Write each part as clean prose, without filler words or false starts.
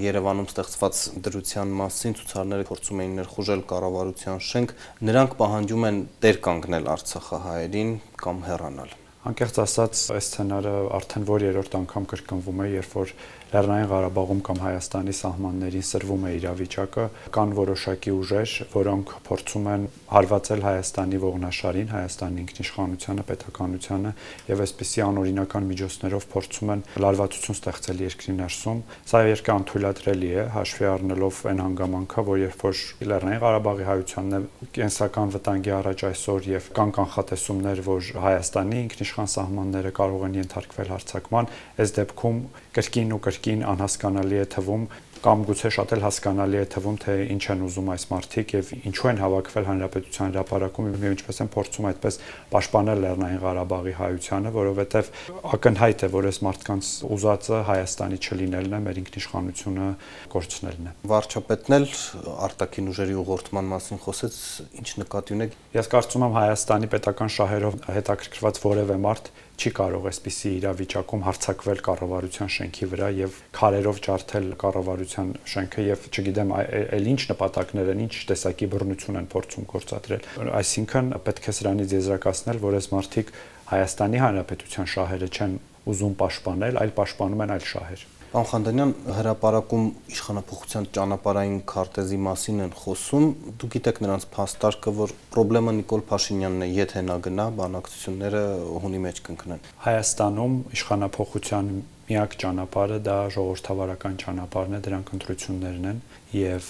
Երևանում ստեղծված դրության մասին ցուցարները փորձում էին ներխուժել կառավարության շենք, նրանք պահանջում են տեր կանգնել արցախահայերին կամ հեռանալ։ Անկեղծ ասած, այս սցենարը արդեն որ երրորդ անգամ կրկնվում է, երբ որ Լեռնային Ղարաբաղում կամ Հայաստանի սահմաններին սրվում է իրավիճակը, կան որոշակի ուժեր, որոնք փորձում են հարվածել Հայաստանի ողնաշարին, Հայաստանի ինքնիշխանությանը, պետականությանը եւ այսպիսի անօրինական միջոցներով փորձում են լարվածություն ստեղծել երկրի ներսում։ Սա իհարկե անթույլատրելի է, հաշվի առնելով այն հանգամանքը, որ երբ որ Լեռնային Ղարաբաղի հայությանն է կենսական վտանգի առաջ այսօր եւ կան կանխատեսումներ, որ Հայաստանի ինքնիշխան սահմանները կարող են ենթարկվել հարձակման, այս դեպքում կրկին ու կրկին անհասկանալի է թվում կամ գուցե շատ էլ հասկանալի է թվում, թե ինչ են ուզում այս մարդիկ եւ ինչու են հավաքվել Հանրապետության հրապարակում եւ ինչպես են փորձում այդպես պաշտպանել Լեռնային Ղարաբաղի հայությանը, որովհետեւ ակնհայտ է, որ այս մարդկանց ուզածը Հայաստանի չլինելն է, մեր ինքնիշխանությունը կորցնելն է։ Վարչապետն էլ արտաքին ուժերի ուղղորդման մասին խոսեց, ինչ նկատի ունեք։ Ես կարծում եմ Հայաստանի պետական շահերով հետաքրքրված որևէ մարդ չի կարող այսպիսի իրավիճակում հարձակվել կառավարության շենքի վրա եւ քարերով ջարդել կառավարության շենքը եւ չգիտեմ այլ ինչ նպատակներ են, ինչ տեսակի բռնություն են փորձում գործադրել։ Այսինքն պետք է սրանից եզրակացնել, որ այս մարդիկ Հայաստանի Հանրապետության շահերը չեն ուզում պաշտպանել, այլ պաշտպանում են այլ շահեր։ Պարոն Խանդանյան, հրապարակում իշխանապողության ճանապարհային քարտեզի մասին են խոսում, դուք գիտեք նրանց փաստարկը, որ խնդրեմը Նիկոլ Փաշինյանն է, եթե նա գնա, բանակցությունները հունի մեջ կընկնեն։ Հայաստանում իշխանապողության միակ ճանապարհը դա ժողովրդավարական ճանապարհն է, դրանք ընտրություններն են եւ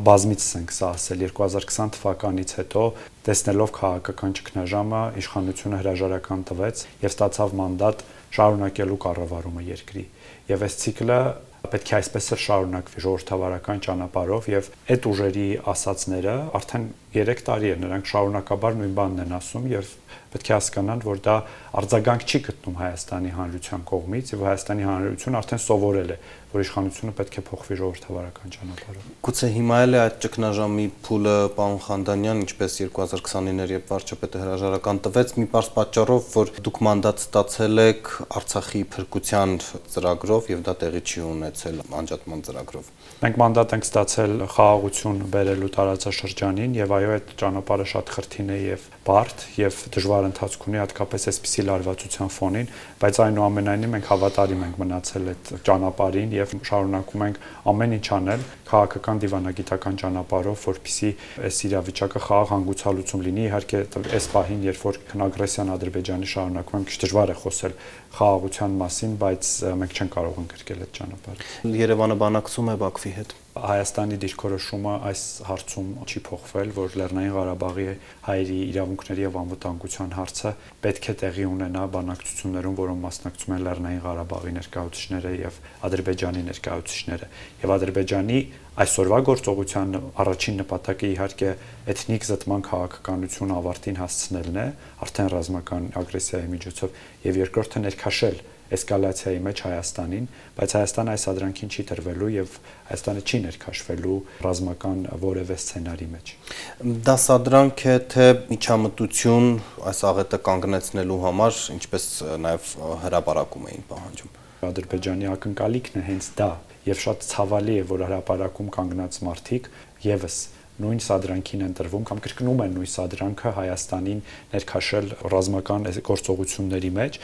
բազմիցս ենք սա ասել 2020 թվականից հետո տեսնելով քաղաքական ճգնաժամը իշխանությունը հրաժարական տվեց եւ ստացավ մանդատ շարունակելու կառավարումը երկրի եւ այս ցիկլը պետք է այսպես էլ շարունակվի ժողովրդավարական ճանապարհով եւ այդ ուժերի ասացները արդեն 3 տարի է նրանք շարունակաբար նույն բանն են ասում եւ պետք է հասկանան, որ դա արձագանք չի գտնում Հայաստանի Հանրության կողմից եւ Հայաստանի Հանրությունը արդեն սովորել է, որ իշխանությունը պետք է փոխվի ժողովրդավարական ճանապարհով։ Գուցե հիմա էլ է այդ ճգնաժամի փուլը, պարոն Խանդանյան, ինչպես 2029-ներ երբ վարչապետը հրաժարական տվեց, մի պարզ պատճառով, որ դուք մանդատ ստացել եք Արցախի փրկության ծրագրով եւ դա տեղի չի ունեցել անջատման ծրագրով։ Մենք մանդատ ենք ստացել խաղաղություն բերելու տարածաշրջանին եւ այո, այդ ճանապարհը շատ խրթին է եւ բարդ եւ դժվար ընթացք ունի հատկապես այսպիսի լարվածության ֆոնին, բայց այնուամենայնիվ մենք հավատարիմ ենք մնացել այդ ճանապարհին եւ շարունակում ենք ամեն ինչ անել քաղաքական դիվանագիտական ճանապարհով, որպեսզի այս իրավիճակը խաղաղ հանգուցալուծում լինի։ Իհարկե, այս պահին, երբ որ ագրեսիան Ադրբեջանի շարունակվում է, քիչ դժվար է խոսել խաղաղության մասին, բայց մենք չենք կարող ընկրկել այդ ճանապարհը։ Երևանը բանակցում է Բաքվի հետ։ Հայաստանի դիրքորոշումը այս հարցում չի փոխվել, որ Լեռնային Ղարաբաղի հայերի իրավունքների եւ անվտանգության հարցը պետք է տեղի ունենա բանակցություններում, որոնց մասնակցում են Լեռնային Ղարաբաղի ներկայացուցիչները եւ Ադրբեջանի ներկայացուցիչները։ Եվ Ադրբեջանի այսօրվա գործողության առաջին նպատակը իհարկե էթնիկ զտման քաղաքականություն ավարտին հասցնելն է, արդեն ռազմական ագրեսիայի միջոցով, եւ երկրորդը ներքաշել էսկալացիայի մեջ Հայաստանին, բայց Հայաստանը այս ադրանքին չի տրվելու եւ Հայաստանը չի ներքաշվելու ռազմական որևէ սցենարի մեջ։ Դա սադրանք է թե միջամտություն այս աղետը կանգնեցնելու համար, ինչպես նաեւ հրապարակում էին պահանջում։ Ադրբեջանի ակնկալիքն է հենց դա եւ շատ ցավալի է, որ հրապարակում կանգնած մարդիկ եւս նույն սադրանքին են տրվում կամ կրկնում են նույն սադրանքը Հայաստանին ներքաշել ռազմական գործողությունների մեջ